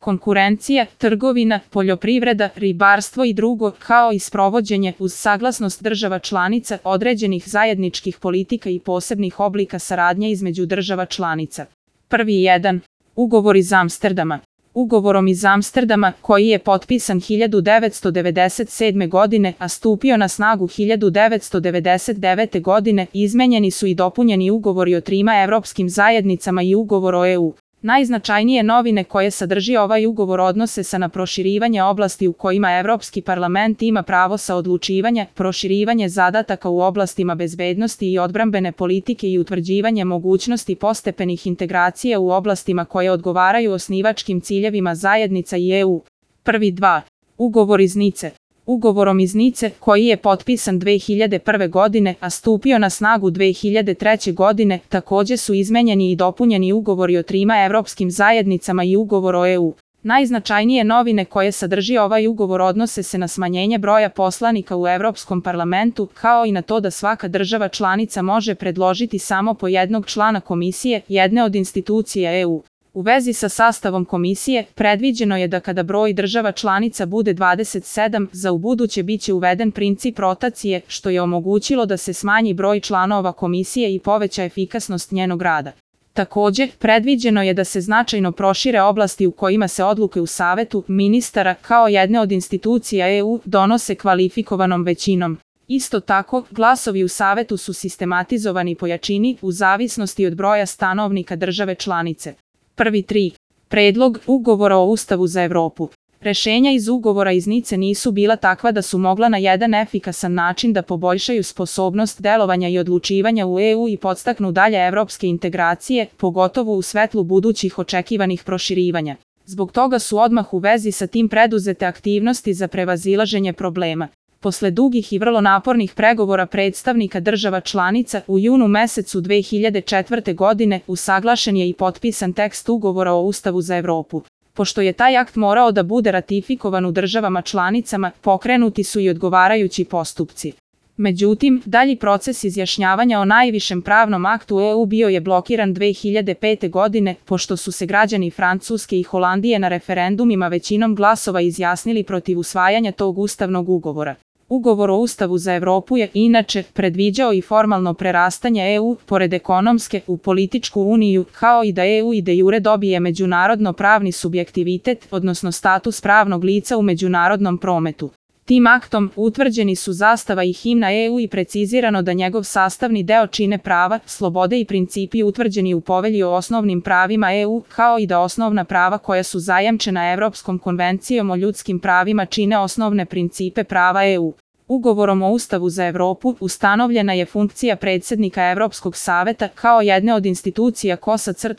konkurencija, trgovina, poljoprivreda, ribarstvo i drugo, kao i sprovođenje uz saglasnost država članica određenih zajedničkih politika i posebnih oblika saradnje između država članica. Prvi 1. Ugovor iz Amsterdama. Ugovorom iz Amsterdama, koji je potpisan 1997. godine, a stupio na snagu 1999. godine, izmenjeni su i dopunjeni ugovori o trima evropskim zajednicama i ugovor o EU. Najznačajnije novine koje sadrži ovaj ugovor odnose se na proširivanje oblasti u kojima Evropski parlament ima pravo saodlučivanja, proširivanje zadataka u oblastima bezbednosti i odbrambene politike i utvrđivanje mogućnosti postepenih integracija u oblastima koje odgovaraju osnivačkim ciljevima zajednica i EU. Prvi 2. Ugovor iz Nice. Ugovorom iz Nice, koji je potpisan 2001. godine, a stupio na snagu 2003. godine, takođe su izmenjeni i dopunjeni ugovori o trima evropskim zajednicama i ugovor o EU. Najznačajnije novine koje sadrži ovaj ugovor odnose se na smanjenje broja poslanika u Evropskom parlamentu, kao i na to da svaka država članica može predložiti samo po jednog člana komisije, jedne od institucija EU. U vezi sa sastavom komisije, predviđeno je da kada broj država članica bude 27, za ubuduće biće uveden princip rotacije, što je omogućilo da se smanji broj članova komisije i poveća efikasnost njenog rada. Takođe, predviđeno je da se značajno prošire oblasti u kojima se odluke u Savetu ministara, kao jedne od institucija EU, donose kvalifikovanom većinom. Isto tako, glasovi u Savetu su sistematizovani po jačini u zavisnosti od broja stanovnika države članice. Prvi 3. Predlog ugovora o Ustavu za Evropu. Rešenja iz ugovora iz Nice nisu bila takva da su mogla na jedan efikasan način da poboljšaju sposobnost delovanja i odlučivanja u EU i podstaknu dalje evropske integracije, pogotovo u svetlu budućih očekivanih proširivanja. Zbog toga su odmah u vezi sa tim preduzete aktivnosti za prevazilaženje problema. Posle dugih i vrlo napornih pregovora predstavnika država članica, u junu mesecu 2004. godine usaglašen je i potpisan tekst ugovora o Ustavu za Evropu. Pošto je taj akt morao da bude ratifikovan u državama članicama, pokrenuti su i odgovarajući postupci. Međutim, dalji proces izjašnjavanja o najvišem pravnom aktu EU bio je blokiran 2005. godine, pošto su se građani Francuske i Holandije na referendumima većinom glasova izjasnili protiv usvajanja tog ustavnog ugovora. Ugovor o Ustavu za Evropu je, inače, predviđao i formalno prerastanje EU, pored ekonomske, u političku uniju, kao i da EU i de jure dobije međunarodno pravni subjektivitet, odnosno status pravnog lica u međunarodnom prometu. Tim aktom utvrđeni su zastava i himna EU i precizirano da njegov sastavni deo čine prava, slobode i principi utvrđeni u Povelji o osnovnim pravima EU, kao i da osnovna prava koja su zajamčena Evropskom konvencijom o ljudskim pravima čine osnovne principe prava EU. Ugovorom o Ustavu za Evropu ustanovljena je funkcija predsednika Evropskog saveta kao jedne od institucija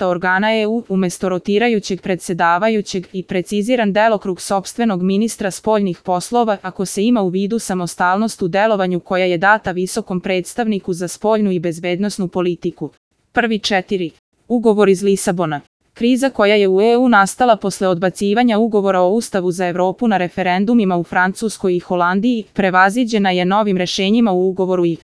organa EU umesto rotirajućeg predsedavajućeg i preciziran delokrug sopstvenog ministra spoljnih poslova ako se ima u vidu samostalnost u delovanju koja je data visokom predstavniku za spoljnu i bezbednosnu politiku. Prvi 4. Ugovor iz Lisabona. Kriza koja je u EU nastala posle odbacivanja ugovora o Ustavu za Evropu na referendumima u Francuskoj i Holandiji, prevaziđena je novim rešenjima u ugovoru i